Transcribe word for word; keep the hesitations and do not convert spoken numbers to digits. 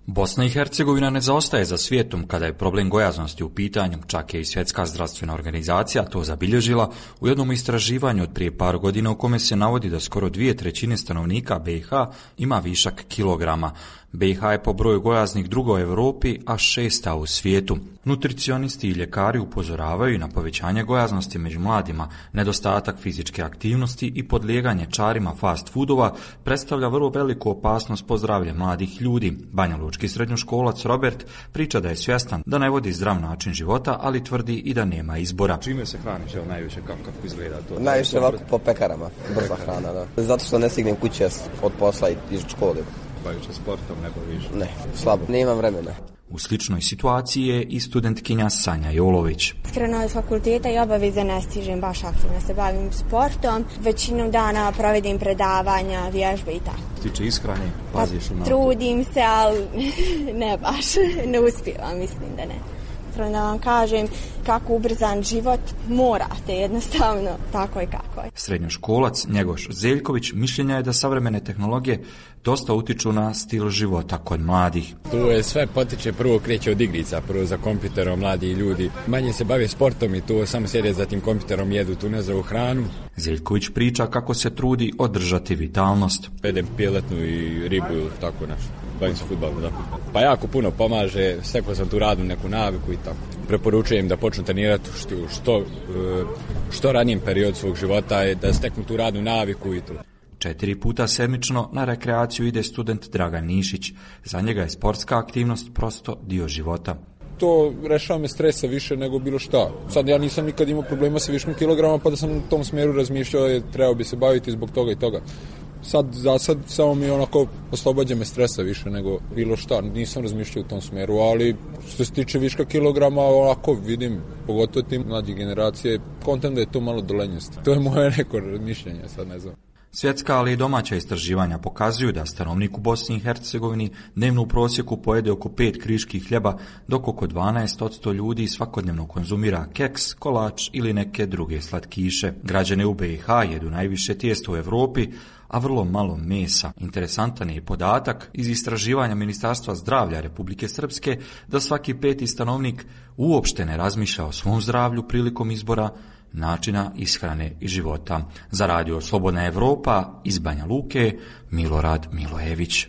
Bosna i Hercegovina ne zaostaje za svijetom kada je problem gojaznosti u pitanju, čak je i Svjetska zdravstvena organizacija to zabilježila u jednom istraživanju od prije par godina u kome se navodi da skoro dvije trećine stanovnika B i H ima višak kilograma. B i H je po broju gojaznih druga u Europi, a šesta u svijetu. Nutricionisti i ljekari upozoravaju na povećanje gojaznosti među mladima, nedostatak fizičke aktivnosti i podlijeganje čarima fast foodova predstavlja vrlo veliku opasnost po zdravlje mladih ljudi. Banjalučki srednjoškolac Robert priča da je svjestan da ne vodi zdrav način života, ali tvrdi i da nema izbora. Čime se hraniš, evo najviše, kako, kako izgleda to? Najviše ovako po pekarama, brza hrana, da. Zato što ne stignem kuće od posla i iz škole. Baviš se sportom, ne baviš? Ne, slabo, nemam vremena. U sličnoj situaciji je i studentkinja Sanja Jolović. Iskreno od fakulteta i obaveze ne stižem baš aktivno se bavim sportom. Većinu dana provedim predavanja, vježbe i tako. Tiče ishrane, paziš pa, na to? Trudim se, ali ne baš, ne uspijevam, mislim da ne. Da vam kažem kako ubrzan život morate jednostavno, tako i kako je. Srednjoškolac Njegoš Zeljković mišljenja je da savremene tehnologije dosta utiču na stil života kod mladih. Tu je sve potiče, prvo kreće od igrica, prvo za kompjuterom, mladi ljudi manje se bave sportom i tu samo sjede za tim kompjuterom, jedu tu nezdravu hranu. Zeljković priča kako se trudi održati vitalnost. Jedem piletnu i ribu ili tako nešto. Bavim se fudbalom, da. Pa jako puno pomaže, stekao sam tu radnu neku naviku i tako. Preporučujem da počnu trenirati što, što, što ranijem period svog života je da steknu tu radnu naviku i to. Četiri puta sedmično na rekreaciju ide student Dragan Nišić. Za njega je sportska aktivnost prosto dio života. To rešava me stresa više nego bilo šta. Sad ja nisam nikad imao problema sa viškom kilograma, pa da sam u tom smjeru razmišljao da trebao bi se baviti zbog toga i toga. Sad, za sad, samo mi onako oslobađa me stresa više nego bilo šta. Nisam razmišljao u tom smjeru, ali što se tiče viška kilograma, onako vidim, pogotovo tim mlađe generacije, kontam da je to malo dolenjost. To je moje neko razmišljanje, sad ne znam. Svjetska, ali i domaća istraživanja pokazuju da stanovnik u Bosni i Hercegovini dnevno u prosjeku pojede oko pet kriških hljeba, dok oko dvanaest posto ljudi svakodnevno konzumira keks, kolač ili neke druge slatkiše. Građani u B i H jedu najviše tijesta u Europi, a vrlo malo mesa. Interesantan je podatak iz istraživanja Ministarstva zdravlja Republike Srpske da svaki peti stanovnik uopšte ne razmišlja o svom zdravlju prilikom izbora načina ishrane i života. Za radio Slobodna Evropa iz Banja Luke, Milorad Milojević.